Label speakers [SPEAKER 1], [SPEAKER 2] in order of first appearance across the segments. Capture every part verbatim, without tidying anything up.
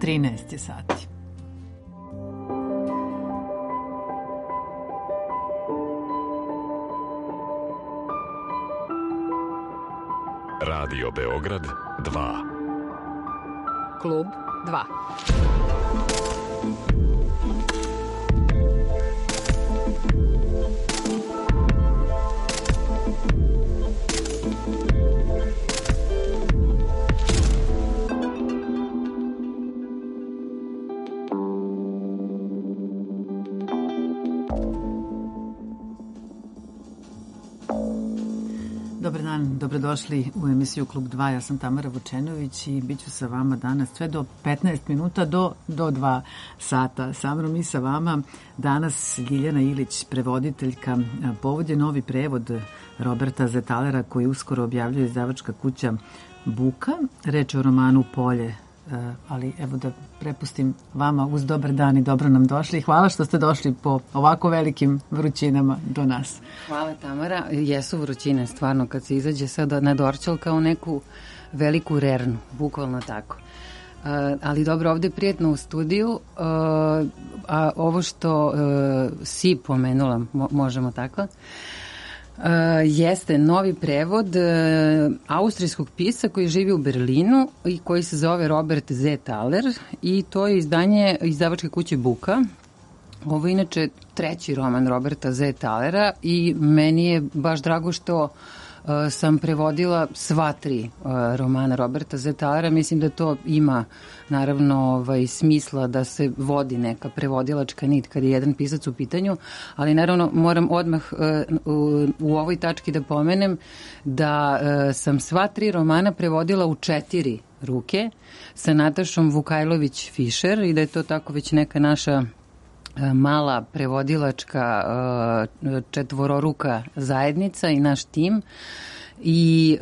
[SPEAKER 1] trinaest je sati.
[SPEAKER 2] Radio Beograd dva.
[SPEAKER 3] Klub dva.
[SPEAKER 1] Dobar dan, dobrodošli u emisiju Klub dva. Ja sam Tamara Vučenović i bit ću sa vama danas sve do petnaest minuta, do, do dva sata. Sa mnom i sa vama danas Ljiljana Ilić, prevoditeljka. Povod je novi prevod Roberta Zetalera koji uskoro objavljuje izdavačka kuća Buka. Reč je o romanu Polje. Ali evo da prepustim vama uz dobar dan i dobro nam došli. Hvala što ste došli po ovako velikim vrućinama do nas.
[SPEAKER 3] Hvala Tamara. Jesu vrućine stvarno kad se izađe sad na Dorćol kao neku veliku rernu, bukvalno tako. Uh, ali dobro, ovde je prijetno u studiju, uh, a ovo što uh, si pomenula, mo- možemo tako, Uh, jeste novi prevod uh, austrijskog pisca koji živi u Berlinu i koji se zove Robert Zetaler i to je izdanje izdavačke kuće Buka. Ovo je inače treći roman Roberta Zetalera i meni je baš drago što uh, sam prevodila sva tri uh, romana Roberta Zetalera. Mislim da to ima naravno ovaj, smisla da se vodi neka prevodilačka nit kad je jedan pisac u pitanju, ali naravno moram odmah uh, u, u ovoj tački da pomenem da uh, sam sva tri romana prevodila u četiri ruke sa Natašom Vukajlović-Fišer i da je to tako već neka naša mala prevodilačka četvororuka zajednica i naš tim i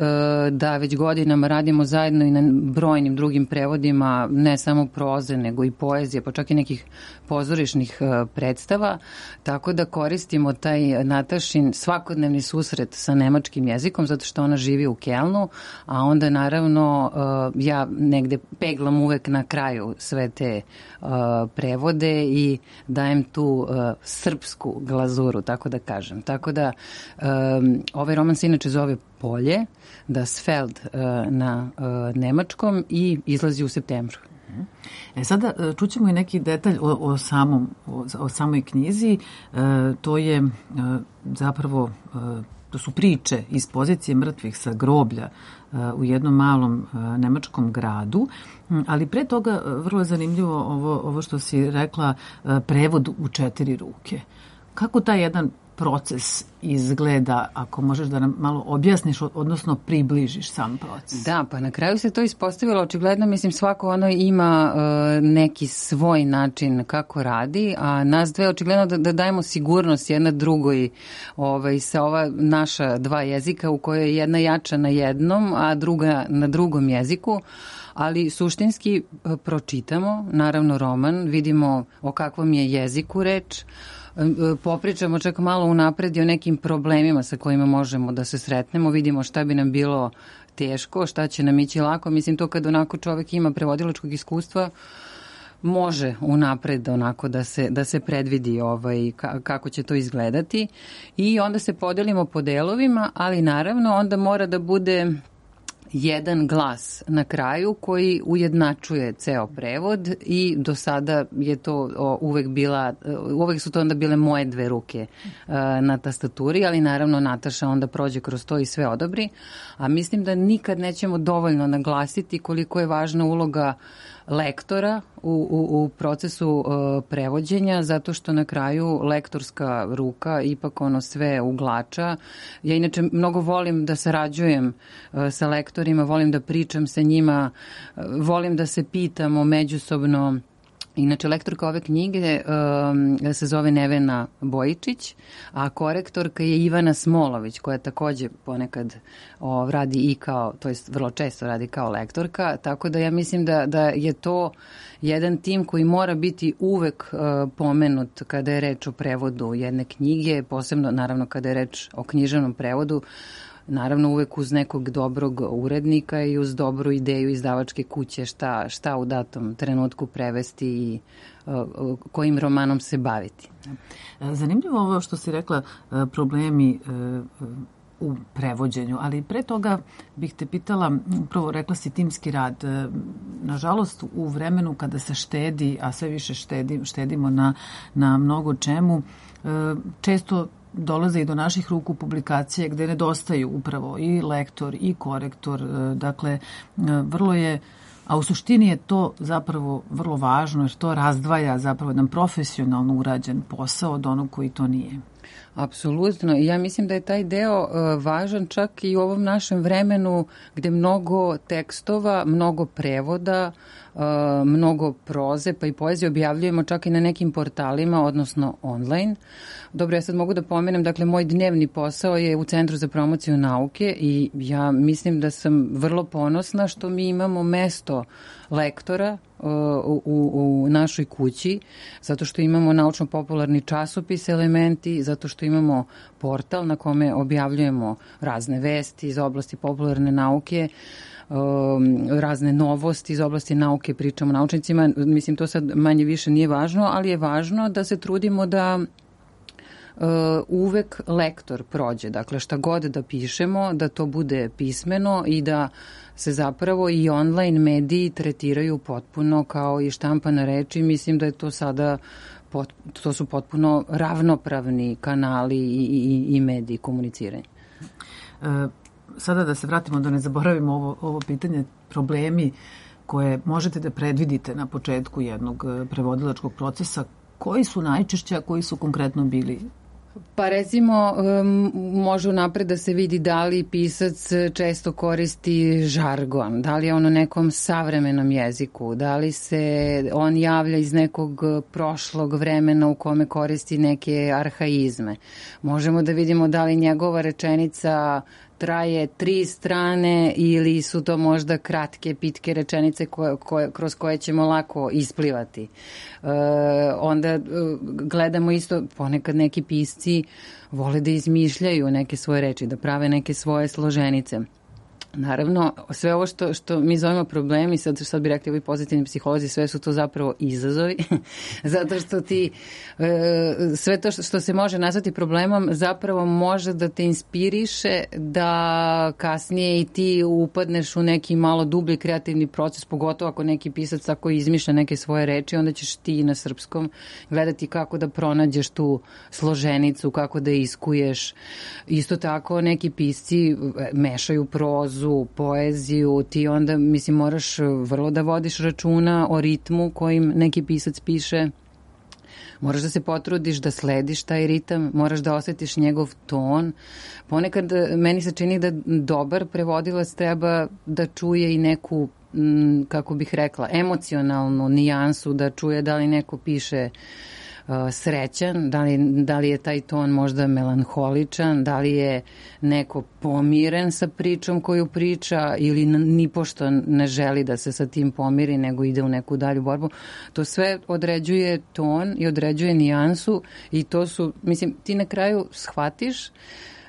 [SPEAKER 3] da već godinama radimo zajedno i na brojnim drugim prevodima, ne samo proze nego i poezije, pa čak i nekih pozorišnih predstava, tako da koristimo taj Natašin svakodnevni susret sa nemačkim jezikom zato što ona živi u Kelnu, a onda naravno ja negde peglam uvek na kraju sve te prevode i dajem tu srpsku glazuru, tako da kažem. Tako da ovaj roman se inače zove Polje, Das Feld na nemačkom i izlazi u septembru.
[SPEAKER 1] E sada čućemo i neki detalj o, o, samom, o, o samoj knjizi. E, to je e, zapravo, e, to su priče iz pozicije mrtvih sa groblja e, u jednom malom e, nemačkom gradu. Ali pre toga vrlo je zanimljivo ovo, ovo što si rekla, e, prevod u četiri ruke. Kako taj jedan proces izgleda, ako možeš da nam malo objasniš, odnosno približiš sam proces?
[SPEAKER 3] Da, pa na kraju se to ispostavilo očigledno, mislim svako ono ima uh, neki svoj način kako radi, a nas dve očigledno da, da dajemo sigurnost jedna drugoj ovaj, sa ova naša dva jezika u kojoj je jedna jača na jednom, a druga na drugom jeziku. Ali suštinski pročitamo, naravno roman, vidimo o kakvom je jeziku reč, popričamo čak malo unapred i o nekim problemima sa kojima možemo da se sretnemo, vidimo šta bi nam bilo teško, šta će nam ići lako. Mislim, to kad onako čovek ima prevodilačkog iskustva, može unapred onako da se, da se predvidi ovaj, kako će to izgledati i onda se podelimo po delovima, ali naravno onda mora da bude jedan glas na kraju koji ujednačuje ceo prevod i do sada je to uvek bila, uvek su to onda bile moje dve ruke uh, na tastaturi, ali naravno Nataša onda prođe kroz to i sve odobri, a mislim da nikad nećemo dovoljno naglasiti koliko je važna uloga lektora u, u, u procesu uh, prevođenja, zato što na kraju lektorska ruka ipak ono sve uglača. Ja inače mnogo volim da sarađujem uh, sa lektorima, volim da pričam sa njima, uh, volim da se pitamo međusobno. Inače, lektorka ove knjige um, se zove Nevena Bojičić, a korektorka je Ivana Smolović, koja takođe ponekad o, radi i kao, to jest vrlo često radi kao lektorka, tako da ja mislim da, da je to jedan tim koji mora biti uvek uh, pomenut kada je reč o prevodu jedne knjige, posebno naravno kada je reč o književnom prevodu. naravno uvek uz nekog dobrog urednika i uz dobru ideju izdavačke kuće šta, šta u datom trenutku prevesti i uh, kojim romanom se baviti.
[SPEAKER 1] Zanimljivo ovo što si rekla, problemi uh, u prevođenju, ali pre toga bih te pitala, upravo rekla si timski rad. Nažalost, u vremenu kada se štedi, a sve više štedi, štedimo na, na mnogo čemu, često dolaze i do naših ruku publikacije gde nedostaju upravo i lektor i korektor. Dakle, vrlo je, a u suštini je to zapravo vrlo važno jer to razdvaja zapravo jedan profesionalno urađen posao od onog koji to nije.
[SPEAKER 3] Apsolutno. I ja mislim da je taj deo uh, važan čak i u ovom našem vremenu gde mnogo tekstova, mnogo prevoda, uh, mnogo proze pa i poezije objavljujemo čak i na nekim portalima, odnosno online. Dobro, ja sad mogu da pomenem, dakle, moj dnevni posao je u Centru za promociju nauke i ja mislim da sam vrlo ponosna što mi imamo mesto lektora u, u, u našoj kući, zato što imamo naučno-popularni časopis Elementi, zato što imamo portal na kome objavljujemo razne vesti iz oblasti popularne nauke, um, razne novosti iz oblasti nauke, pričamo o naučnicima. Mislim, to sad manje više nije važno, ali je važno da se trudimo da Uh, uvek lektor prođe, dakle šta god da pišemo, da to bude pismeno i da se zapravo i online mediji tretiraju potpuno kao i štampane reči. Mislim da je to sada, pot, to su potpuno ravnopravni kanali i, i, i mediji komuniciranja.
[SPEAKER 1] Uh, sada da se vratimo, da ne zaboravimo ovo, ovo pitanje, problemi koje možete da predvidite na početku jednog prevodilačkog procesa, koji su najčešće, a koji su konkretno bili?
[SPEAKER 3] Pa recimo, može unapred da se vidi da li pisac često koristi žargon, da li je on u nekom savremenom jeziku, da li se on javlja iz nekog prošlog vremena u kome koristi neke arhaizme. Možemo da vidimo da li njegova rečenica traje tri strane ili su to možda kratke, pitke rečenice koje, koje, kroz koje ćemo lako isplivati. E, onda e, gledamo isto, ponekad neki pisci vole da izmišljaju neke svoje reči, da prave neke svoje složenice. Naravno, sve ovo što, što mi zovemo problemi, sad, sad bi rekli ovi pozitivni psiholozi, sve su to zapravo izazovi, zato što ti e, sve to što, što se može nazvati problemom zapravo može da te inspiriše da kasnije i ti upadneš u neki malo dublji kreativni proces, pogotovo ako neki pisac tako izmišlja neke svoje reči, onda ćeš ti na srpskom gledati kako da pronađeš tu složenicu, kako da iskuješ. Isto tako neki pisci mešaju prozu, poeziju, ti onda, mislim, moraš vrlo da vodiš računa o ritmu kojim neki pisac piše. Moraš da se potrudiš da slediš taj ritam, moraš da osetiš njegov ton. Ponekad meni se čini da dobar prevodilac treba da čuje i neku, kako bih rekla, emocionalnu nijansu, da čuje da li neko piše srećan, da li, da li je taj ton možda melanholičan, da li je neko pomiren sa pričom koju priča ili nipošto ne želi da se sa tim pomiri, nego ide u neku dalju borbu. To sve određuje ton i određuje nijansu i to su, mislim, ti na kraju shvatiš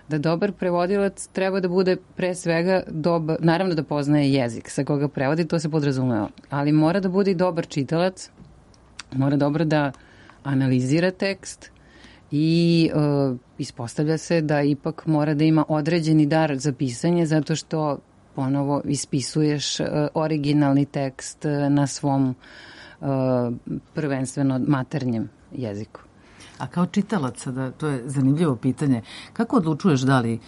[SPEAKER 3] da dobar prevodilac treba da bude pre svega dobar, naravno da poznaje jezik sa koga prevodi, to se podrazumeva, ali mora da bude i dobar čitalac, mora dobro da analizira tekst i uh, ispostavlja se da ipak mora da ima određeni dar za pisanje zato što ponovo ispisuješ uh, originalni tekst uh, na svom uh, prvenstveno maternjem jeziku.
[SPEAKER 1] A kao čitalac, da, to je zanimljivo pitanje, kako odlučuješ da li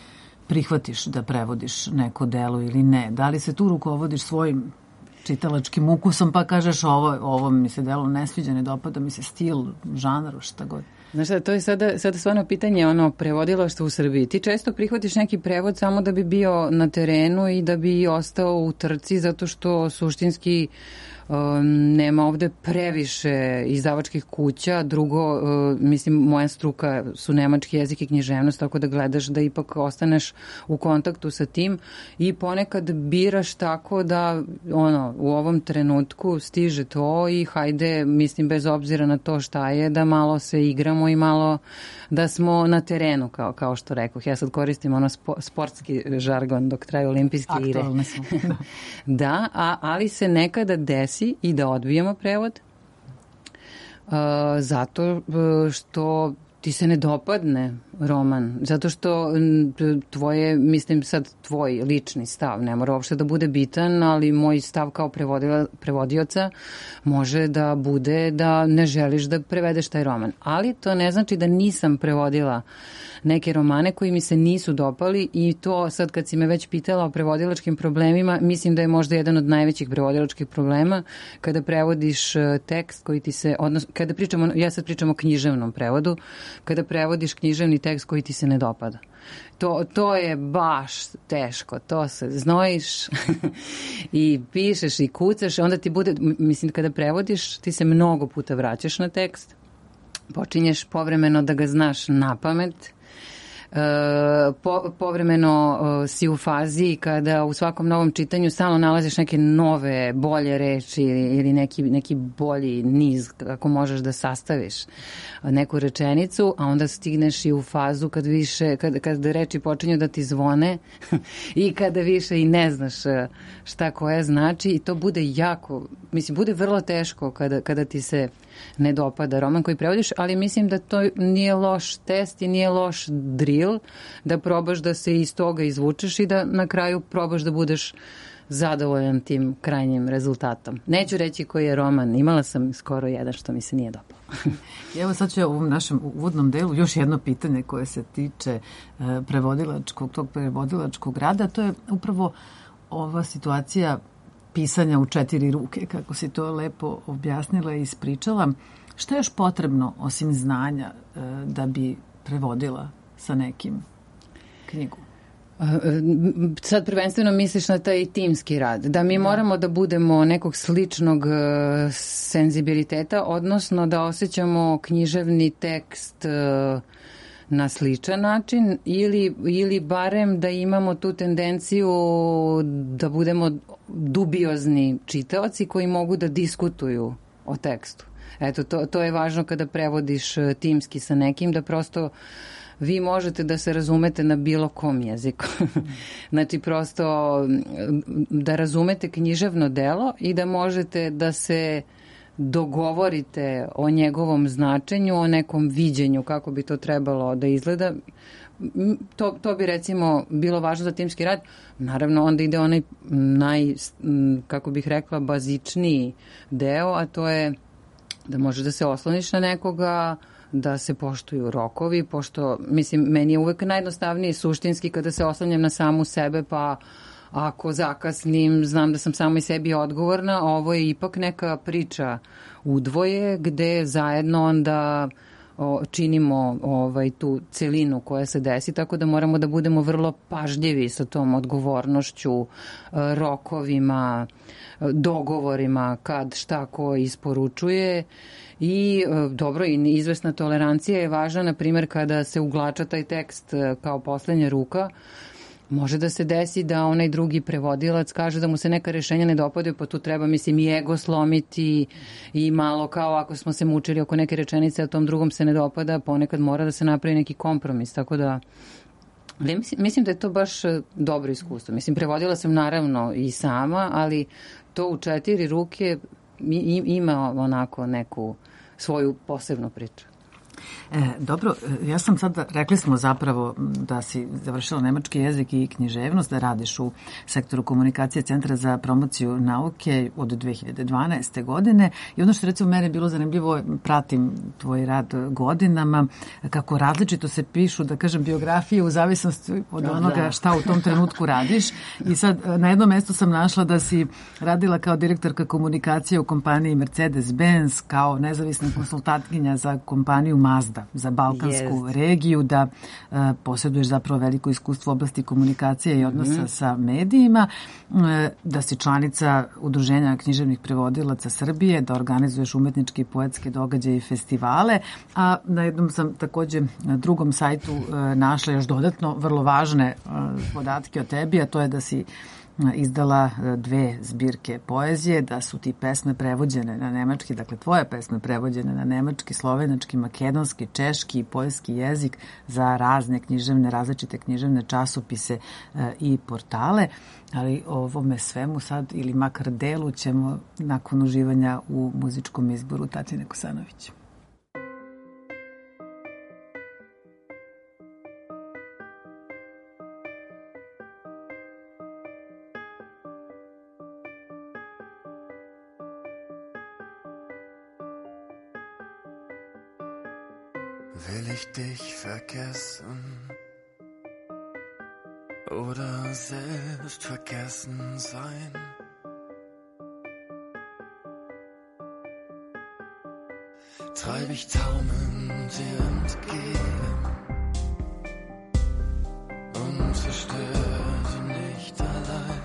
[SPEAKER 1] prihvatiš da prevodiš neko delo ili ne? Da li se tu rukovodiš svojim čitalačkim ukusom, pa kažeš ovo, ovo mi se delo ne sviđa, ne dopada mi se stil, žanar, šta god.
[SPEAKER 3] Znaš šta, to je sada, sada stvarno pitanje ono prevodilaštva u Srbiji. Ti često prihvatiš neki prevod samo da bi bio na terenu i da bi ostao u trci, zato što suštinski um, nema ovde previše izdavačkih kuća. Drugo, uh, mislim, moja struka su nemački jezik i književnost, tako da gledaš da ipak ostaneš u kontaktu sa tim i ponekad biraš tako da ono da, u ovom trenutku stiže to i hajde, mislim, bez obzira na to šta je, da malo se igramo i malo da smo na terenu, kao, kao što rekoh. Ja sad koristim ono spo, sportski žargon dok traju olimpijske igre.
[SPEAKER 1] Aktualne smo.
[SPEAKER 3] Da, a, ali se nekada desi i da odbijemo prevod uh, zato što ti se ne dopadne roman, zato što tvoje, mislim sad tvoj lični stav, ne mora uopšte da bude bitan, ali moj stav kao prevodila, prevodioca može da bude da ne želiš da prevedeš taj roman. Ali to ne znači da nisam prevodila neke romane koji mi se nisu dopali i to sad kad si me već pitala o prevodilačkim problemima, mislim da je možda jedan od najvećih prevodilačkih problema kada prevodiš tekst koji ti se, odnosno, kada pričamo, ja sad pričam o književnom prevodu, kada prevodiš književni tekst koji ti se ne dopada. To, to je baš teško, to se znojiš i pišeš i kucaš, onda ti bude, mislim, kada prevodiš, ti se mnogo puta vraćaš na tekst, počinješ povremeno da ga znaš na pamet, Po, povremeno uh, si u fazi kada u svakom novom čitanju stalno nalaziš neke nove, bolje reči ili, ili neki, neki bolji niz kako možeš da sastaviš neku rečenicu, a onda stigneš i u fazu kad više, kad, kad reči počinju da ti zvone i kada više i ne znaš šta koja znači i to bude jako, mislim, bude vrlo teško kada, kada ti se ne dopada roman koji prevodiš, ali mislim da to nije loš test i nije loš drill, da probaš da se iz toga izvučeš i da na kraju probaš da budeš zadovoljan tim krajnjim rezultatom. Neću reći koji je roman, imala sam skoro jedan što mi se nije dopao.
[SPEAKER 1] Evo sad ću u ovom našem uvodnom delu još jedno pitanje koje se tiče prevodilačkog, tog prevodilačkog rada, to je upravo ova situacija pisanja u četiri ruke, kako si to lepo objasnila i ispričala. Šta je još potrebno osim znanja da bi prevodila sa nekim knjigu?
[SPEAKER 3] Sad prvenstveno misliš na taj timski rad, da mi moramo da budemo nekog sličnog senzibiliteta, odnosno da osjećamo književni tekst na sličan način ili, ili barem da imamo tu tendenciju da budemo dubiozni čitaoci koji mogu da diskutuju o tekstu. Eto, to, to je važno kada prevodiš timski sa nekim, da prosto vi možete da se razumete na bilo kom jeziku. Znači, prosto da razumete književno delo i da možete da se dogovorite o njegovom značenju, o nekom viđenju, kako bi to trebalo da izgleda. To, to bi recimo bilo važno za timski rad. Naravno, onda ide onaj naj, kako bih rekla, bazičniji deo, a to je da možeš da se osloniš na nekoga, da se poštuju rokovi, pošto, mislim, meni je uvek najjednostavnije suštinski kada se oslanjam na samu sebe, pa ako zakasnim, znam da sam samo i sebi odgovorna, a ovo je ipak neka priča udvoje, gde zajedno onda o, činimo ovaj, tu celinu koja se desi, tako da moramo da budemo vrlo pažljivi sa tom odgovornošću, rokovima, dogovorima, kad šta ko isporučuje. I dobro, i izvesna tolerancija je važna, na primjer, kada se uglača taj tekst kao poslednja ruka, može da se desi da onaj drugi prevodilac kaže da mu se neka rešenja ne dopadaju, pa tu treba, mislim, i ego slomiti i malo kao ako smo se mučili oko neke rečenice, a tom drugom se ne dopada, ponekad mora da se napravi neki kompromis, tako da mislim, mislim da je to baš dobro iskustvo. Mislim, prevodila sam naravno i sama, ali to u četiri ruke ima onako neku svoju posebnu priču.
[SPEAKER 1] E, dobro, ja sam sad, rekli smo zapravo da si završila nemački jezik i književnost, da radiš u sektoru komunikacije Centra za promociju nauke od dve hiljade dvanaeste. godine i ono što recimo mene bilo zanimljivo, pratim tvoj rad godinama, kako različito se pišu, da kažem, biografije u zavisnosti od onoga šta u tom trenutku radiš i sad na jednom mestu sam našla da si radila kao direktorka komunikacije u kompaniji Mercedes-Benz, kao nezavisna konsultantkinja za kompaniju Mazda za balkansku yes. regiju, da uh, posjeduješ zapravo veliko iskustvo u oblasti komunikacije i odnosa mm-hmm. sa medijima, uh, da si članica Udruženja književnih prevodilaca Srbije, da organizuješ umetničke i poetske događaje i festivale, a na jednom sam takođe na drugom sajtu uh, našla još dodatno vrlo važne uh, podatke o tebi, a to je da si izdala dve zbirke poezije, da su ti pesme prevođene na nemački, dakle tvoje pesme prevođene na nemački, slovenački, makedonski, češki i poljski jezik za razne književne, različite književne časopise i portale, ali ovome svemu sad ili makar delu ćemo nakon uživanja u muzičkom izboru Tatjane Kosanović.
[SPEAKER 4] Will ich dich vergessen oder selbst vergessen sein? Treib ich taumelnd dir entgegen und zerstöre sie nicht allein.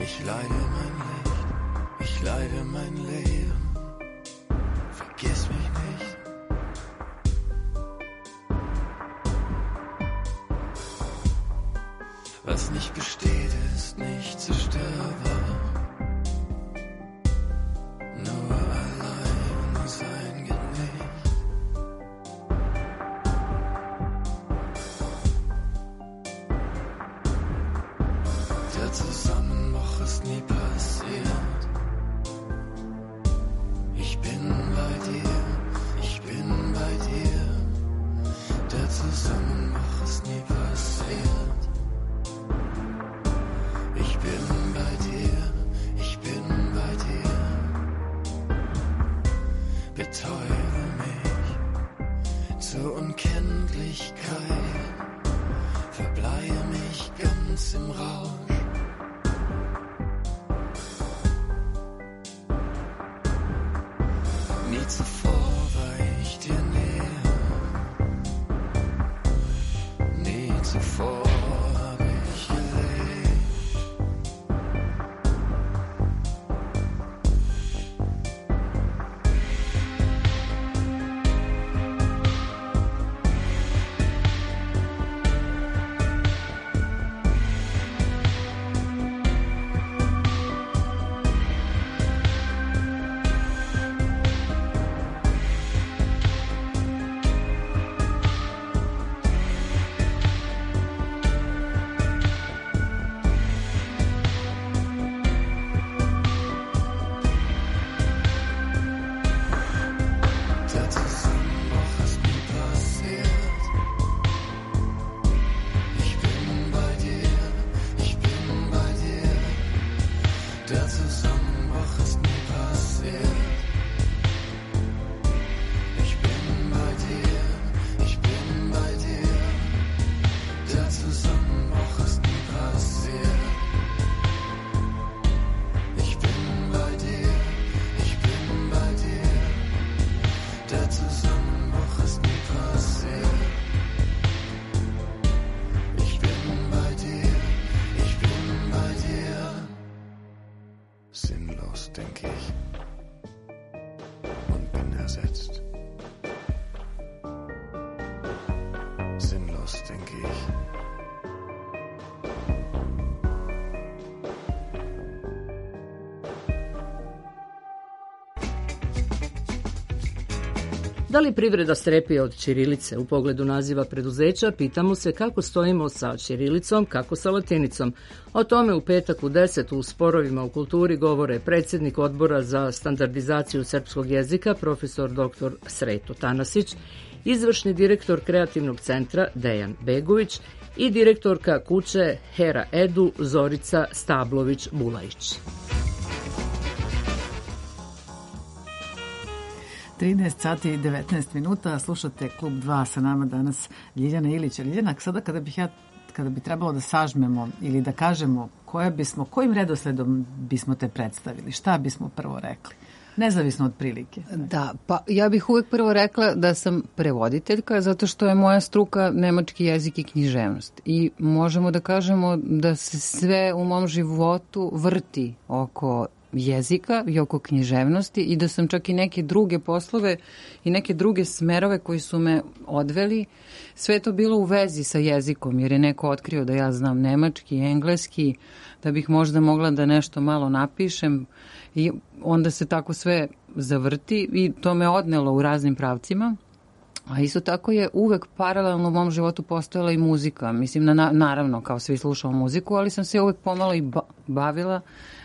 [SPEAKER 4] Ich leide mein Licht, ich leide mein Leben, vergiss mich nicht. Was nicht besteht, ist nicht zerstörbar. Nur allein sein geht nicht. Der Zusammenbruch ist nie passiert. Ich bin bei dir, ich bin bei dir. Der Zusammenbruch ist nie passiert. Ich bin bei dir, ich bin bei dir. Betäube mich zur Unkenntlichkeit. Verbleihe mich ganz im Rausch. Nie zuvor war ich dir näher. Nie zuvor hab ich gelebt. Der Zusammenbruch ist nie passiert. Ich bin bei dir, ich bin bei dir. Der Zusammenbruch ist nie passiert. Ich bin bei dir, ich bin bei dir. Der Zusammenbruch ist nie passiert. Ich bin bei dir, ich bin bei dir. Der Zusammenbruch ist nie passiert. Ich bin bei dir, ich bin bei dir. Sinnlos, denk ich, und bin ersetzt. Sinnlos, denk ich.
[SPEAKER 5] Da li privreda strepi od ćirilice? U pogledu naziva preduzeća pitamo se kako stojimo sa ćirilicom, kako sa latinicom. O tome u petak u deset u Sporovima u kulturi govore predsjednik odbora za standardizaciju srpskog jezika, profesor doktor Sreto Tanasić, izvršni direktor kreativnog centra Dejan Begović i direktorka kuće Hera Edu Zorica Stablović-Bulajić.
[SPEAKER 1] trinaest sati i devetnaest minuta, slušate Klub dva, sa nama danas Ljiljana Ilić. Ljiljana, sada kada bih ja, kada bi trebalo da sažmemo ili da kažemo koja bismo, kojim redosledom bismo te predstavili, šta bismo prvo rekli? Nezavisno od prilike.
[SPEAKER 3] Da, pa ja bih uvek prvo rekla da sam prevoditeljka zato što je moja struka nemački jezik i književnost. I možemo da kažemo da se sve u mom životu vrti oko jezika i oko književnosti i da sam čak i neke druge poslove i neke druge smerove koji su me odveli, sve je to bilo u vezi sa jezikom, jer je neko otkrio da ja znam nemački, engleski, da bih možda mogla da nešto malo napišem i onda se tako sve zavrti i to me odnelo u raznim pravcima. A isto tako je uvek paralelno u mom životu postojala i muzika. Mislim, na, naravno, kao svi slušao muziku, ali sam se uvek pomalo i ba- bavila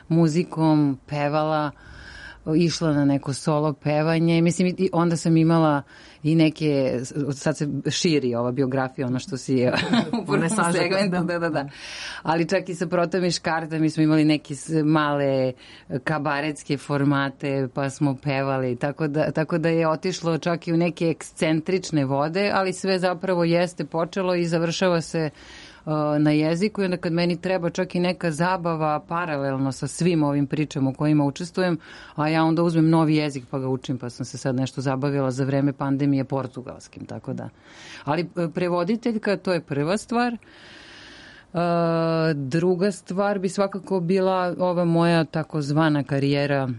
[SPEAKER 3] muzikom, pevala, išla na neko solo pevanje. Mislim, i onda sam imala i neke, sad se širi ova biografija, ono što si je u prvom segmentu, da, da, da. Ali čak i sa Protom i Škarta mi smo imali neke male kabaretske formate, pa smo pevali, tako da, tako da je otišlo čak i u neke ekscentrične vode, ali sve zapravo jeste počelo i završava se na jeziku i onda kad meni treba čak i neka zabava paralelno sa svim ovim pričama u kojima učestvujem, a ja onda uzmem novi jezik pa ga učim, pa sam se sad nešto zabavila za vreme pandemije portugalskim, tako da. Ali prevoditeljka, to je prva stvar. Uh, druga stvar bi svakako bila ova moja takozvana karijera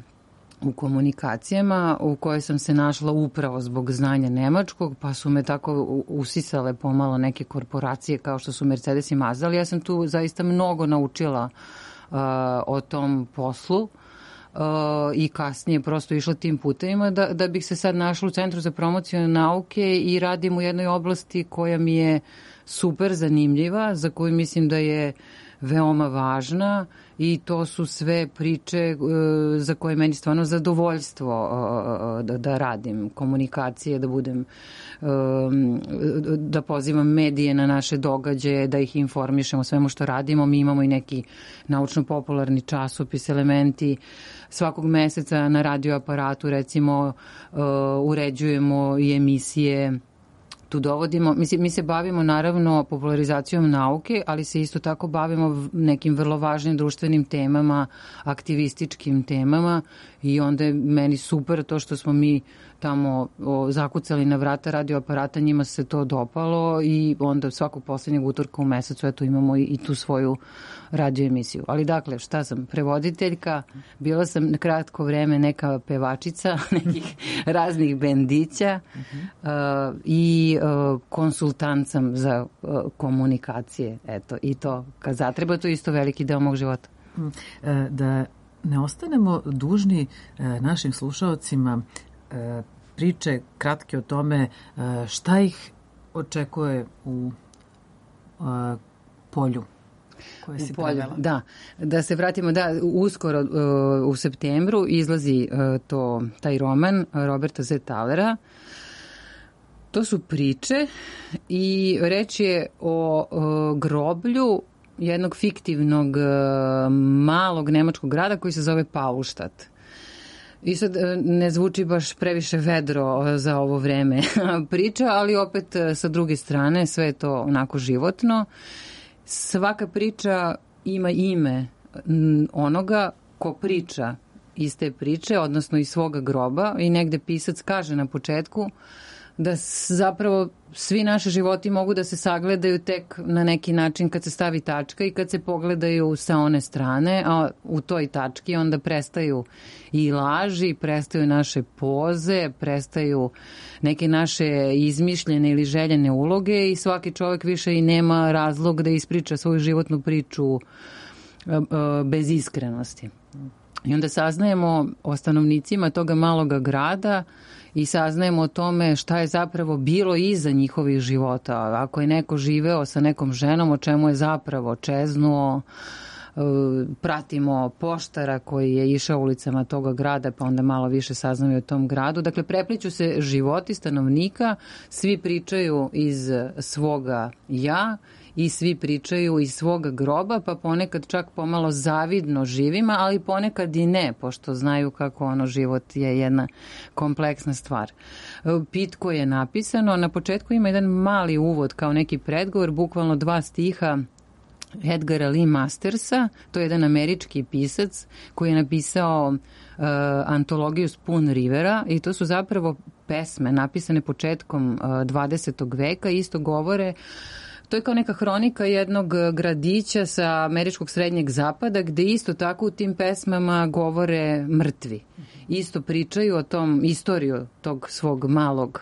[SPEAKER 3] u komunikacijama u kojoj sam se našla upravo zbog znanja nemačkog, pa su me tako usisale pomalo neke korporacije kao što su Mercedes i Mazda, ali ja sam tu zaista mnogo naučila uh, o tom poslu uh, i kasnije prosto išla tim putevima da, da bih se sad našla u Centru za promociju nauke i radim u jednoj oblasti koja mi je super zanimljiva, za koju mislim da je veoma važna i to su sve priče uh, za koje meni stvarno zadovoljstvo uh, da, da radim, komunikacije, da budem, uh, da pozivam medije na naše događaje, da ih informišemo o svemu što radimo. Mi imamo i neki naučno-popularni časopis, Elementi. Svakog meseca na radioaparatu, recimo, uh, uređujemo i emisije. Tu dovodimo, mi se, mi se bavimo naravno popularizacijom nauke, ali se isto tako bavimo nekim vrlo važnim društvenim temama, aktivističkim temama i onda je meni super to što smo mi tamo o, zakucali na vrata radioaparata, njima se to dopalo i onda svakog poslednjeg utorka u mesecu eto imamo i, i tu svoju radio emisiju. Ali dakle, šta sam? Prevoditeljka, bila sam na kratko vreme neka pevačica nekih raznih bendića uh, i uh, konsultant sam za uh, komunikacije. Eto, i to kad zatreba, to je isto veliki deo mog života.
[SPEAKER 1] Da ne ostanemo dužni našim slušaocima priče kratke o tome šta ih očekuje u polju koje si prevela.
[SPEAKER 3] Da, da se vratimo, da, uskoro u septembru izlazi to, taj roman Roberta Z. Thalera. To su priče i reč je o, o groblju jednog fiktivnog malog nemačkog grada koji se zove Paulstadt. I sad ne zvuči baš previše vedro za ovo vreme priča, ali opet sa druge strane sve je to onako životno. Svaka priča ima ime onoga ko priča iz te priče, odnosno iz svoga groba i negde pisac kaže na početku da zapravo svi naši životi mogu da se sagledaju tek na neki način kad se stavi tačka i kad se pogledaju sa one strane, a u toj tački onda prestaju i laži, prestaju naše poze, prestaju neke naše izmišljene ili željene uloge i svaki čovjek više i nema razlog da ispriča svoju životnu priču bez iskrenosti. I onda saznajemo o stanovnicima toga maloga grada i saznajemo o tome šta je zapravo bilo iza njihovih života. Ako je neko živeo sa nekom ženom, o čemu je zapravo čeznuo, pratimo poštara koji je išao ulicama toga grada, pa onda malo više saznamo o tom gradu. Dakle, prepliću se životi stanovnika, svi pričaju iz svoga ja i svi pričaju iz svoga groba, pa ponekad čak pomalo zavidno živima, ali ponekad i ne, pošto znaju kako ono život je jedna kompleksna stvar. Pitko je napisano, na početku ima jedan mali uvod kao neki predgovor, bukvalno dva stiha Edgara Lee Mastersa, to je jedan američki pisac koji je napisao uh, antologiju Spoon Rivera i to su zapravo pesme napisane početkom uh, dvadesetog veka, isto govore to je kao neka hronika jednog gradića sa američkog srednjeg zapada, gde isto tako u tim pesmama govore mrtvi. Isto pričaju o tom, istoriju tog svog malog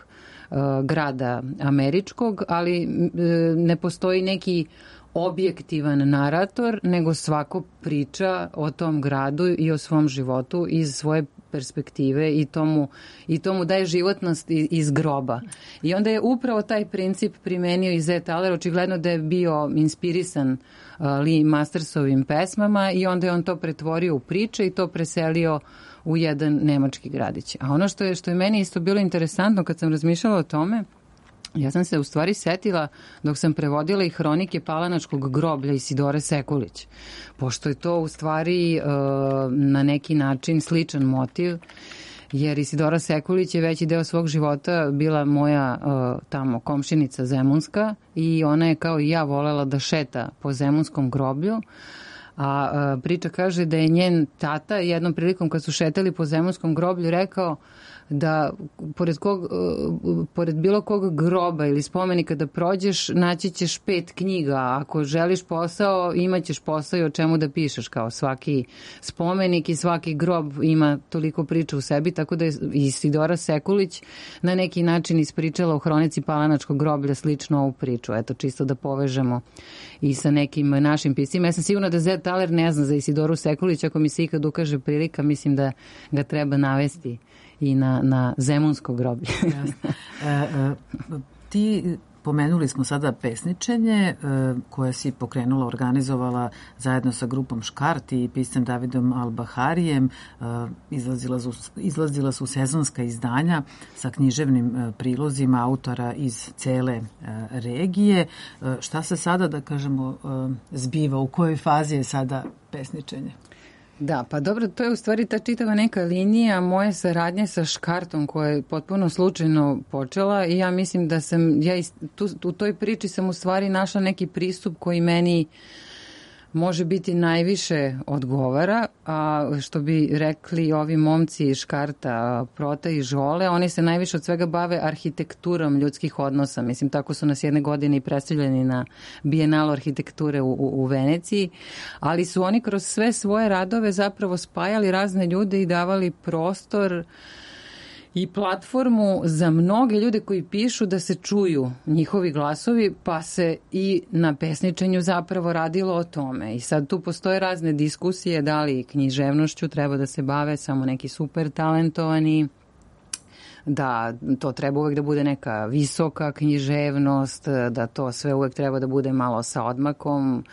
[SPEAKER 3] uh, grada američkog, ali uh, ne postoji neki objektivan narator, nego svako priča o tom gradu i o svom životu iz svoje perspektive i tomu, i tomu daje životnost iz groba. I onda je upravo taj princip primenio i Zet Taler, očigledno da je bio inspirisan uh, Lee Mastersovim pesmama i onda je on to pretvorio u priče i to preselio u jedan nemački gradić. A ono što je, što je meni isto bilo interesantno kad sam razmišljala o tome, ja sam se u stvari setila dok sam prevodila i hronike Palanačkog groblja Isidore Sekulić, pošto je to u stvari uh, na neki način sličan motiv, jer Isidora Sekulić je veći deo svog života bila moja uh, tamo komšinica zemunska i ona je kao i ja volela da šeta po zemunskom groblju. A uh, priča kaže da je njen tata jednom prilikom kad su šetali po zemunskom groblju rekao da pored, kog, uh, pored bilo kog groba ili spomenika da prođeš, naći ćeš pet knjiga. Ako želiš posao, imaćeš posao i o čemu da pišeš. Kao svaki spomenik i svaki grob ima toliko priča u sebi, tako da je Isidora Sekulić na neki način ispričala u hronici Palanačkog groblja slično ovu priču. Eto, čisto da povežemo i sa nekim našim piscima. Ja sam sigurna da Zet Taler ne zna za Isidoru Sekulić. Ako mi se ikad ukaže prilika, mislim da ga treba navesti i na, na zemunsko groblje.
[SPEAKER 1] e, e, ti pomenuli smo sada pesničenje e, koje si pokrenula, organizovala zajedno sa grupom Škart i piscem Davidom Albaharijem. E, izlazila, su, izlazila su sezonska izdanja sa književnim e, prilozima autora iz cele e, regije. E, šta se sada, da kažemo, e, zbiva? U kojoj fazi je sada pesničenje?
[SPEAKER 3] Da, pa dobro, to je u stvari ta čitava neka linija moje saradnje sa Škartom koja je potpuno slučajno počela i ja mislim da sam, ja tu, u toj priči sam u stvari našla neki pristup koji meni može biti najviše odgovara, a što bi rekli ovi momci iz Škarta, Prota i Žole, oni se najviše od svega bave arhitekturom ljudskih odnosa. Mislim, tako su nas jedne godine i predstavljeni na Bijenalu arhitekture u, u, u Veneciji, ali su oni kroz sve svoje radove zapravo spajali razne ljude i davali prostor i platformu za mnoge ljude koji pišu da se čuju njihovi glasovi, pa se i na pesničenju zapravo radilo o tome. I sad tu postoje razne diskusije da li književnošću treba da se bave samo neki super talentovani, da to treba uvek da bude neka visoka književnost, da to sve uvek treba da bude malo sa odmakom,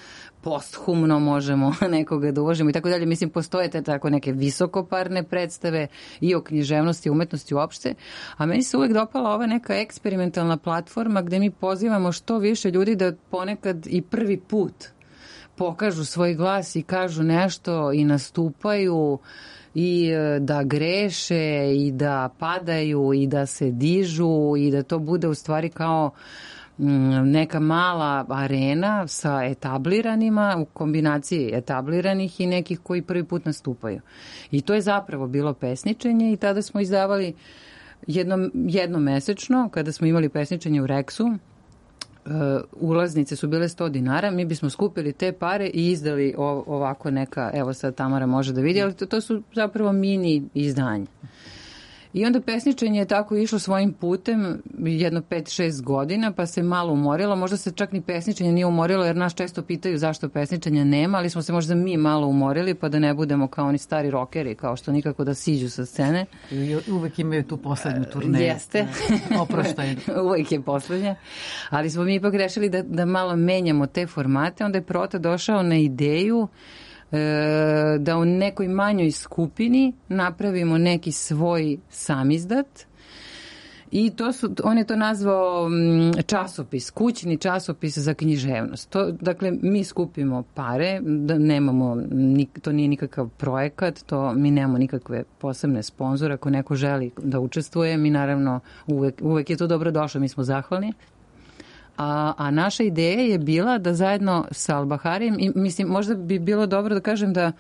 [SPEAKER 3] posthumno možemo nekoga da uložimo i tako dalje. Mislim, postoje te tako neke visokoparne predstave i o književnosti i umetnosti uopšte, a meni se uvek dopala ova neka eksperimentalna platforma gde mi pozivamo što više ljudi da ponekad i prvi put pokažu svoj glas i kažu nešto i nastupaju i da greše i da padaju i da se dižu i da to bude u stvari kao neka mala arena sa etabliranima u kombinaciji etabliranih i nekih koji prvi put nastupaju. I to je zapravo bilo pesničenje i tada smo izdavali jednom, jednomesečno, kada smo imali pesničenje u Reksu, Uh, ulaznice su bile sto dinara, mi bismo skupili te pare i izdali ovako neka, evo sad Tamara može da vidi, ali to, to su zapravo mini izdanja. I onda pesničenje je tako išlo svojim putem jedno pet šest godina, pa se malo umorilo. Možda se čak ni pesničenje nije umorilo, jer nas često pitaju zašto pesničenja nema, ali smo se možda mi malo umorili, pa da ne budemo kao oni stari rokeri, kao što nikako da siđu sa scene.
[SPEAKER 1] I uvek imaju tu poslednju turneju.
[SPEAKER 3] Jeste.
[SPEAKER 1] Oproštaj.
[SPEAKER 3] Uvek je poslednja. Ali smo mi ipak rešili da, da malo menjamo te formate. Onda je Prota došao na ideju da u nekoj manjoj skupini napravimo neki svoj samizdat i to su, on je to nazvao časopis, kućni časopis za književnost. To, dakle, mi skupimo pare, da nemamo, to nije nikakav projekat, to mi nemamo nikakve posebne sponzore. Ako neko želi da učestvuje, mi naravno uvek, uvek je to dobro došlo, mi smo zahvalni. A, a naša ideja je bila da zajedno sa Albaharijem, i mislim, možda bi bilo dobro da kažem da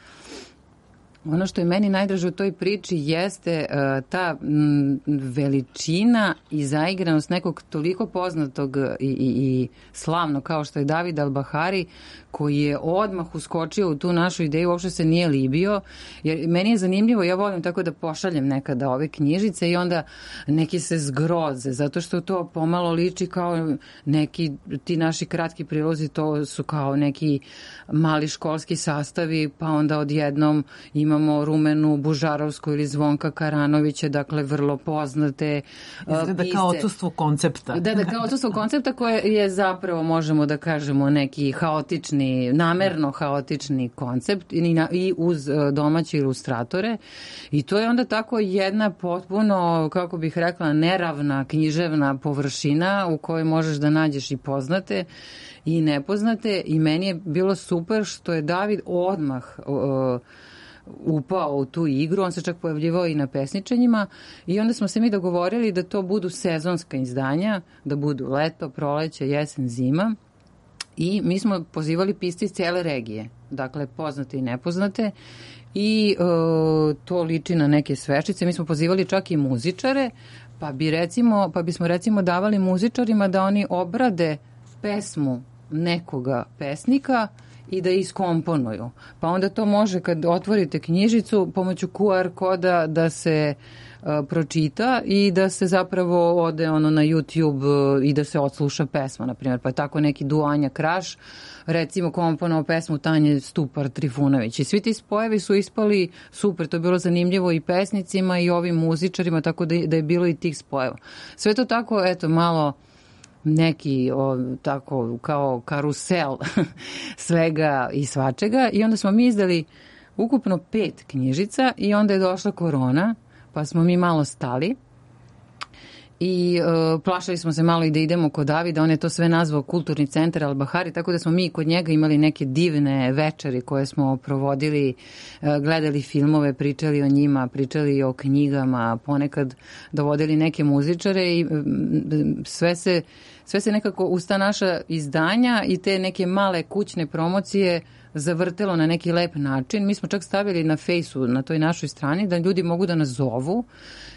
[SPEAKER 3] Ono što je meni najdraže u toj priči jeste uh, ta m, veličina i zaigranost nekog toliko poznatog i, i, i slavno kao što je David Al-Bahari, koji je odmah uskočio u tu našu ideju, uopšte se nije libio, jer meni je zanimljivo, ja volim tako da pošaljem nekada ove knjižice i onda neki se zgroze, zato što to pomalo liči kao neki, ti naši kratki prilozi, to su kao neki mali školski sastavi, pa onda odjednom imamo Rumenu Bužarovsku ili Zvonka Karanovića, dakle vrlo poznate uh,
[SPEAKER 1] Izgleda
[SPEAKER 3] pisce.
[SPEAKER 1] kao odsustvo koncepta.
[SPEAKER 3] Da, da, kao odsustvo koncepta koje je zapravo, možemo da kažemo, neki haotični, namerno haotični koncept i, na, i uz uh, domaće ilustratore. I to je onda tako jedna potpuno, kako bih rekla, neravna književna površina u kojoj možeš da nađeš i poznate i nepoznate, i meni je bilo super što je David odmah uh, upao u tu igru, on se čak pojavljivao i na pesničenjima i onda smo se mi dogovorili da to budu sezonska izdanja, da budu leto, proleće, jesen, zima, i mi smo pozivali pisce iz cele regije, dakle poznate i nepoznate, i uh, to liči na neke svečice. Mi smo pozivali čak i muzičare, pa bi recimo, pa bismo recimo davali muzičarima da oni obrade pesmu nekoga pesnika i da iskomponuju. Pa onda to može, kad otvorite knjižicu, pomoću Q R koda da se uh, pročita i da se zapravo ode ono na YouTube uh, i da se odsluša pesma, na primjer. Pa tako neki Duanja Kraš, recimo komponovao pesmu Tanje Stupar Trifunović. I svi ti spojevi su ispali super, to je bilo zanimljivo i pesnicima i ovim muzičarima, tako da, da je bilo i tih spojeva. Sve to tako, eto, malo neki o, tako kao karusel svega i svačega, i onda smo mi izdali ukupno pet knjižica i onda je došla korona, pa smo mi malo stali i uh, plašali smo se malo i da idemo kod Davida, on je to sve nazvao Kulturni centar Al-Bahari, tako da smo mi kod njega imali neke divne večeri koje smo provodili, uh, gledali filmove, pričali o njima, pričali o knjigama, ponekad dovodili neke muzičare i um, sve se sve se nekako uz ta naša izdanja i te neke male kućne promocije zavrtelo na neki lep način. Mi smo čak stavili na fejsu, na toj našoj strani, da ljudi mogu da nas zovu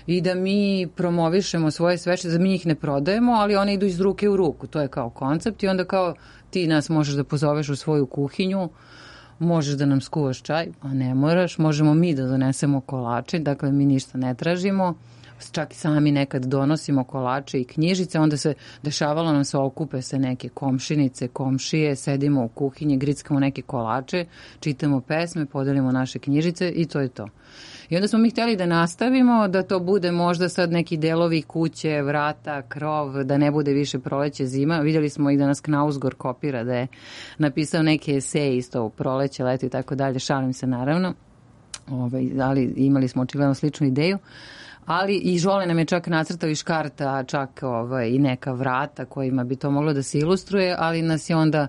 [SPEAKER 3] i da mi promovišemo svoje sveće, da mi ih ne prodajemo, ali one idu iz ruke u ruku. To je kao koncept i onda kao ti nas možeš da pozoveš u svoju kuhinju, možeš da nam skuvaš čaj, a ne moraš, možemo mi da donesemo kolače, dakle mi ništa ne tražimo, čak i sami nekad donosimo kolače i knjižice, onda se dešavalo nam se, okupe se neke komšinice, komšije, sedimo u kuhinji, grickamo neke kolače, čitamo pesme, podelimo naše knjižice i to je to. I onda smo mi htjeli da nastavimo, da to bude možda sad neki delovi kuće, vrata, krov, da ne bude više proleće, zima. Vidjeli smo i da nas Knausgård kopira, da je napisao neke eseje isto u proleće, leto i tako dalje, šalim se naravno, Ove, ali imali smo očigledno sličnu ideju. Ali i Žole nam je čak nacrtao i škarta, čak ovaj, i neka vrata kojima bi to moglo da se ilustruje, ali nas je onda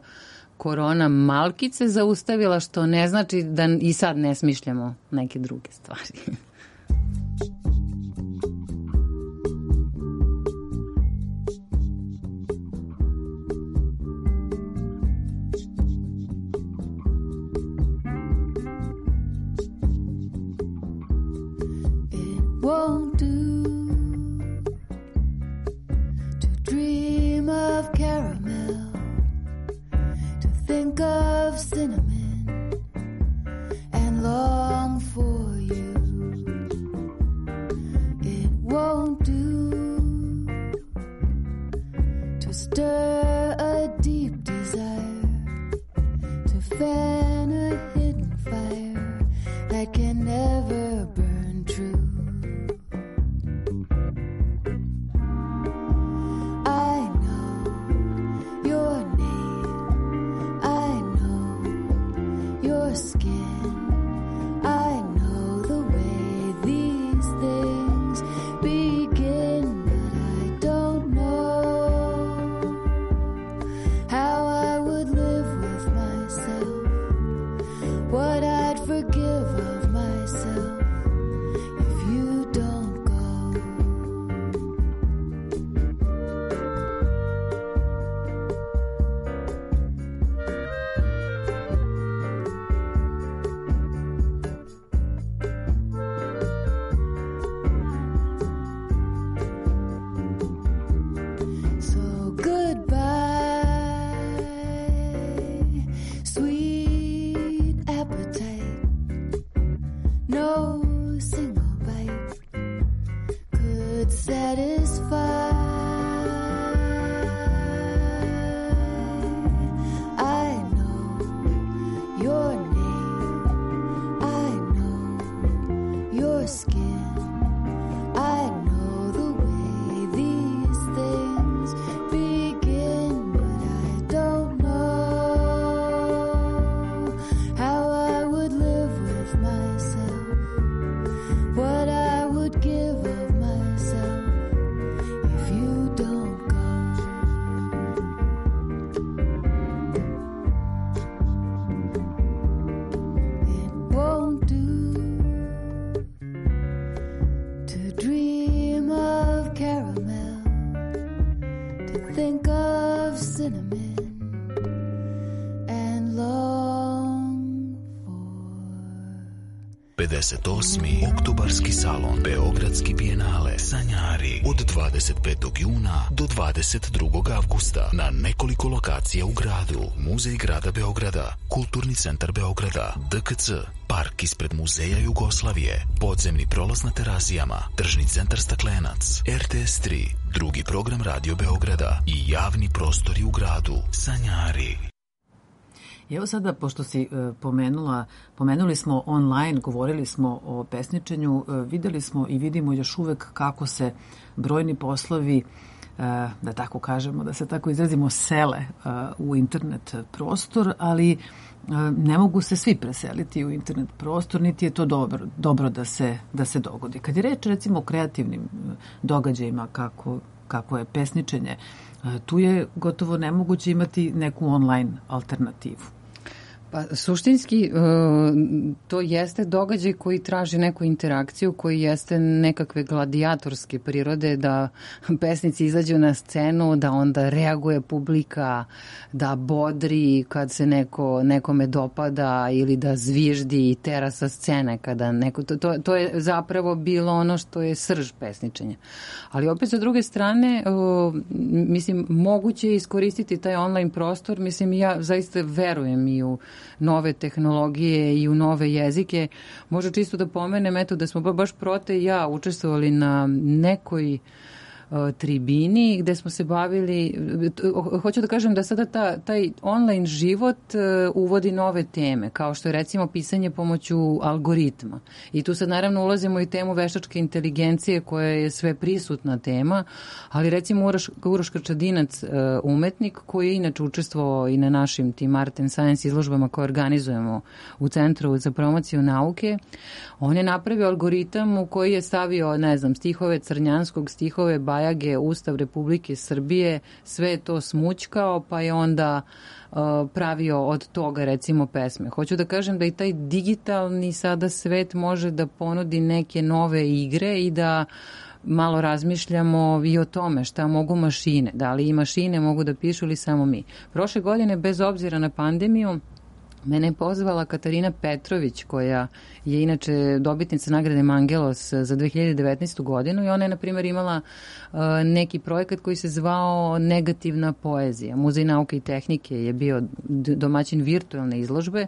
[SPEAKER 3] korona malkice zaustavila, što ne znači da i sad ne smišljamo neke druge stvari.
[SPEAKER 6] Won't do to dream of caramel, to think of cinnamon and long for you. It won't do to stir a deep desire, to fan a hidden fire that can never burn true. Skin, I know the way these things begin, but I don't know how I would live with myself, what I'd forgive of myself if you don't go.
[SPEAKER 7] pedeset osmi Oktobarski salon, Beogradski bijenale, Sanjari, od dvadeset petog juna do dvadeset drugog avgusta na nekoliko lokacija u gradu. Muzej grada Beograda, Kulturni centar Beograda, D K C, park ispred Muzeja Jugoslavije, podzemni prolaz na Terazijama, tržni centar Staklenac, R T S tri, drugi program Radio Beograda i javni prostori u gradu. Sanjari.
[SPEAKER 1] Evo sada, pošto si e, pomenula, pomenuli smo online, govorili smo o pesničenju, e, videli smo i vidimo još uvek kako se brojni poslovi, e, da tako kažemo, da se tako izrazimo, sele e, u internet prostor, ali e, ne mogu se svi preseliti u internet prostor, niti je to dobro, dobro da se, da se dogodi. Kad je reč recimo o kreativnim događajima kako, kako je pesničenje, e, tu je gotovo nemoguće imati neku online alternativu.
[SPEAKER 3] Pa suštinski to jeste događaj koji traži neku interakciju, koji jeste nekakve gladijatorske prirode, da pesnici izađu na scenu, da onda reaguje publika, da bodri kad se neko, nekome dopada ili da zviždi i tera sa scene kada neko, to, to, to je zapravo bilo ono što je srž pesničenja. Ali opet sa druge strane, mislim, moguće je iskoristiti taj online prostor, mislim, ja zaista verujem i u nove tehnologije i u nove jezike. Možda čisto da pomenem, eto, da smo baš Prote i ja učestvovali na nekoj tribini gde smo se bavili, hoću da kažem da sada ta, taj online život uvodi nove teme, kao što je recimo pisanje pomoću algoritma. I tu sad naravno ulazimo i temu veštačke inteligencije koja je sve prisutna tema, ali recimo Uroš, Uroš Krčadinac, umetnik koji je inače učestvovao i na našim tim Art and Science izložbama koje organizujemo u Centru za promociju nauke, on je napravio algoritam u koji je stavio, ne znam, stihove Crnjanskog, stihove Bajage, Ustav Republike Srbije, sve je to smućkao, pa je onda uh, pravio od toga recimo pesme. Hoću da kažem da i taj digitalni sada svet može da ponudi neke nove igre i da malo razmišljamo i o tome šta mogu mašine, da li i mašine mogu da pišu ili samo mi. Prošle godine, bez obzira na pandemiju, mene je pozvala Katarina Petrović, koja je inače dobitnica nagrade Mangelos za dve hiljade devetnaestu godinu i ona je, na primjer, imala uh, neki projekat koji se zvao Negativna poezija. Muzej nauke i tehnike je bio domaćin virtualne izložbe,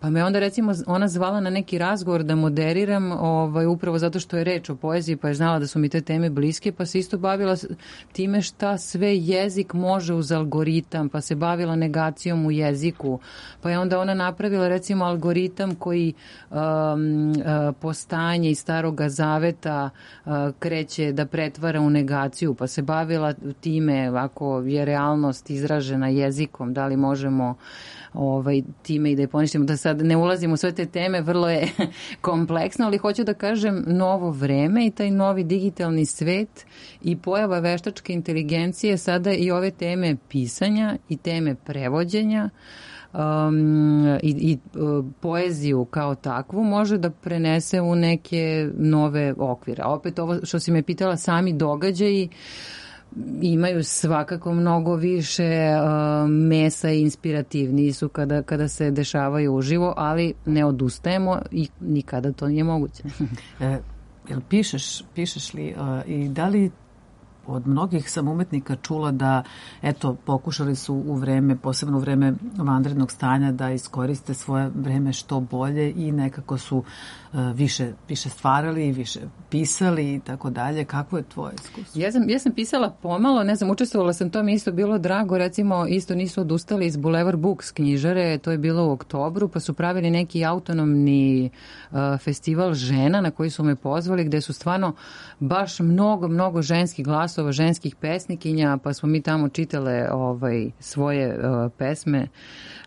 [SPEAKER 3] pa me onda recimo ona zvala na neki razgovor da moderiram, ovaj, upravo zato što je reč o poeziji, pa je znala da su mi te teme bliske, pa se isto bavila time šta sve jezik može uz algoritam, pa se bavila negacijom u jeziku, pa je onda ona napravila recimo algoritam koji um, uh, postanje iz Staroga zaveta uh, kreće da pretvara u negaciju, pa se bavila time ako je realnost izražena jezikom, da li možemo ovaj, time i da je poništimo, da sad ne ulazimo u sve te teme, vrlo je kompleksno, ali hoću da kažem novo vreme i taj novi digitalni svet i pojava veštačke inteligencije sada i ove teme pisanja i teme prevođenja Um, i, i uh, poeziju kao takvu može da prenese u neke nove okvire. A opet ovo što si me pitala, sami događaji imaju svakako mnogo više uh, mesa i inspirativniji su kada, kada se dešavaju uživo, ali ne odustajemo i nikada to nije moguće.
[SPEAKER 1] e, jel pišeš, pišeš li uh, i da li od mnogih sam umetnika čula da, eto, pokušali su u vreme, posebno u vreme vanrednog stanja, da iskoriste svoje vreme što bolje i nekako su uh, više, više stvarali, više pisali i tako dalje. Kako je tvoje iskustvo?
[SPEAKER 3] Ja sam, ja sam pisala pomalo, ne znam, učestvovala sam, to mi isto bilo drago, recimo isto nisu odustali iz Boulevard Books knjižare, to je bilo u oktobru, pa su pravili neki autonomni uh, festival žena na koji su me pozvali, gde su stvarno baš mnogo, mnogo ženskih glasova, ženskih pesnikinja, pa smo mi tamo čitale ovaj, svoje uh, pesme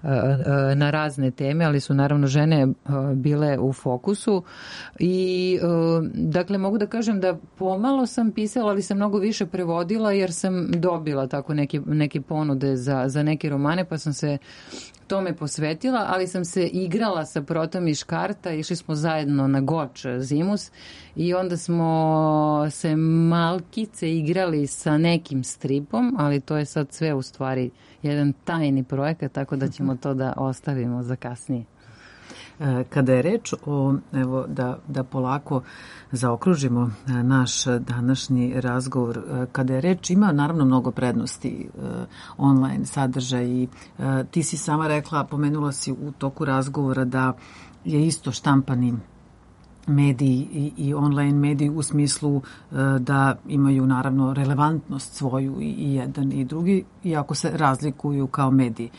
[SPEAKER 3] uh, uh, na razne teme, ali su naravno žene uh, bile u fokusu i uh, dakle mogu da kažem da pomalo sam pisala, ali sam mnogo više prevodila jer sam dobila tako neke, neke ponude za, za neke romane, pa sam se tome posvetila, ali sam se igrala sa Protom iz Škarta, išli smo zajedno na Goč zimus i onda smo se malkice igrali sa nekim stripom, ali to je sad sve u stvari jedan tajni projekat, tako da ćemo to da ostavimo za kasnije.
[SPEAKER 1] Kada je reč o, evo, da, da polako zaokružimo naš današnji razgovor, kada je reč, ima naravno mnogo prednosti online sadržaj i ti si sama rekla, pomenula si u toku razgovora da je isto štampani mediji i, i online mediji u smislu da imaju naravno relevantnost svoju i, i jedan i drugi, iako se razlikuju kao mediji.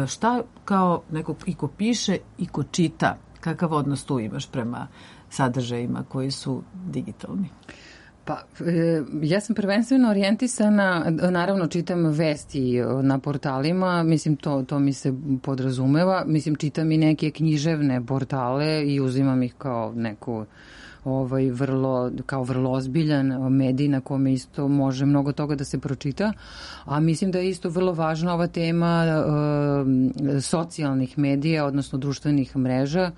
[SPEAKER 1] Šta kao neko i ko piše i ko čita, kakav odnos tu imaš prema sadržajima koji su digitalni?
[SPEAKER 3] Pa, e, ja sam prvenstveno orijentisana, naravno čitam vesti na portalima, mislim to, to mi se podrazumeva, mislim čitam i neke književne portale i uzimam ih kao neku ovaj vrlo kao vrlo ozbiljan medij na kome isto može mnogo toga da se pročita, a mislim da je isto vrlo važna ova tema e, socijalnih medija, odnosno društvenih mreža.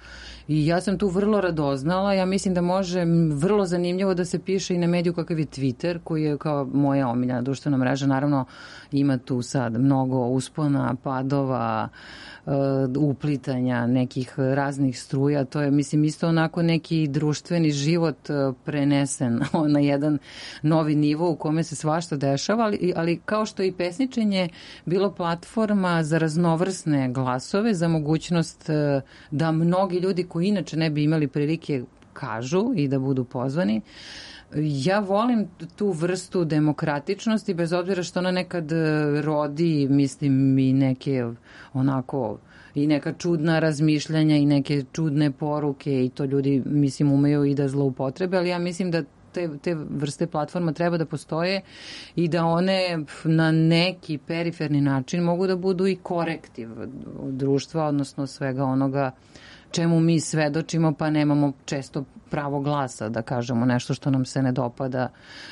[SPEAKER 3] I ja sam tu vrlo radoznala, ja mislim da može vrlo zanimljivo da se piše i na mediju kakav je Twitter, koji je kao moja omiljena društvena mreža. Naravno, ima tu sad mnogo uspona, padova, uplitanja nekih raznih struja. To je, mislim, isto onako neki društveni život prenesen na jedan novi nivo u kome se svašta dešava, ali, ali kao što je i pesničenje bilo platforma za raznovrsne glasove, za mogućnost da mnogi ljudi koji inače ne bi imali prilike kažu i da budu pozvani. Ja volim tu vrstu demokratičnosti, bez obzira što ona nekad rodi, mislim, i neke onako i neka čudna razmišljanja i neke čudne poruke i to ljudi, mislim, umeju i da zloupotrebe, ali ja mislim da te, te vrste platforma treba da postoje i da one na neki periferni način mogu da budu i korektiv društva, odnosno svega onoga čemu mi svedočimo, pa nemamo često pravo glasa da kažemo nešto što nam se ne dopada,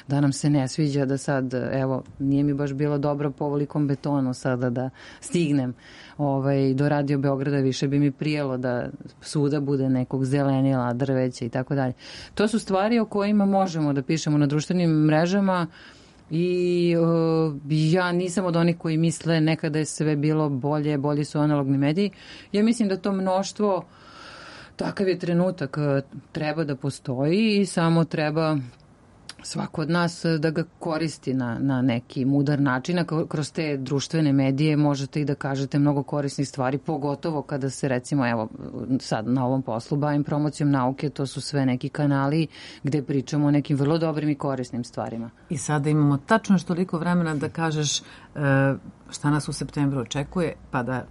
[SPEAKER 3] da nam se ne sviđa, da sad, evo, nije mi baš bilo dobro po ovolikom betonu sada da stignem ovaj, do Radio Beograda, više bi mi prijelo da svuda bude nekog zelenila, drveća i tako dalje. To su stvari o kojima možemo da pišemo na društvenim mrežama i uh, ja nisam od onih koji misle nekada je sve bilo bolje, bolji su analogni mediji. Ja mislim da to mnoštvo, takav je trenutak, treba da postoji i samo treba svako od nas da ga koristi na, na neki mudar način. A kroz te društvene medije možete i da kažete mnogo korisnih stvari, pogotovo kada se, recimo, evo sad na ovom poslu bavim promocijom nauke, to su sve neki kanali gde pričamo o nekim vrlo dobrim i korisnim stvarima.
[SPEAKER 1] I sada imamo tačno što toliko vremena da kažeš šta nas u septembru očekuje, pa da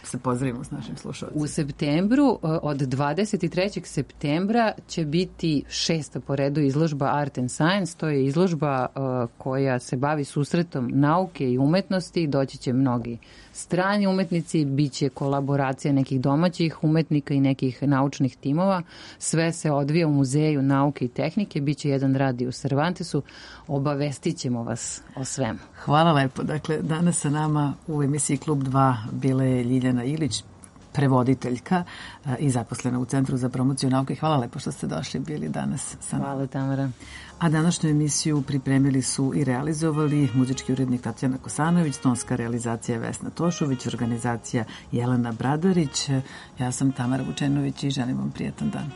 [SPEAKER 1] se pozdravimo s našim slušalcima.
[SPEAKER 3] U septembru, od dvadeset trećeg septembra će biti šesta po redu izložba Art and Science. To je izložba uh, koja se bavi susretom nauke i umetnosti. Doći će mnogi strani umetnici, bit će kolaboracija nekih domaćih umetnika i nekih naučnih timova. Sve se odvija u Muzeju nauke i tehnike. Biće jedan rad i u Cervantesu. Obavestit ćemo vas o svemu.
[SPEAKER 1] Hvala lepo. Dakle, danas sa nama u emisiji Klub dva bila je Ljiljana Ilić, prevoditeljka i zaposlena u Centru za promociju nauke. Hvala lepo što ste došli, bili danas sa nama.
[SPEAKER 3] Hvala, Tamara.
[SPEAKER 1] A današnju emisiju pripremili su i realizovali muzički urednik Tatjana Kosanović, tonska realizacija Vesna Tošović, organizacija Jelena Bradarić. Ja sam Tamara Vučenović i želim vam prijetan dan.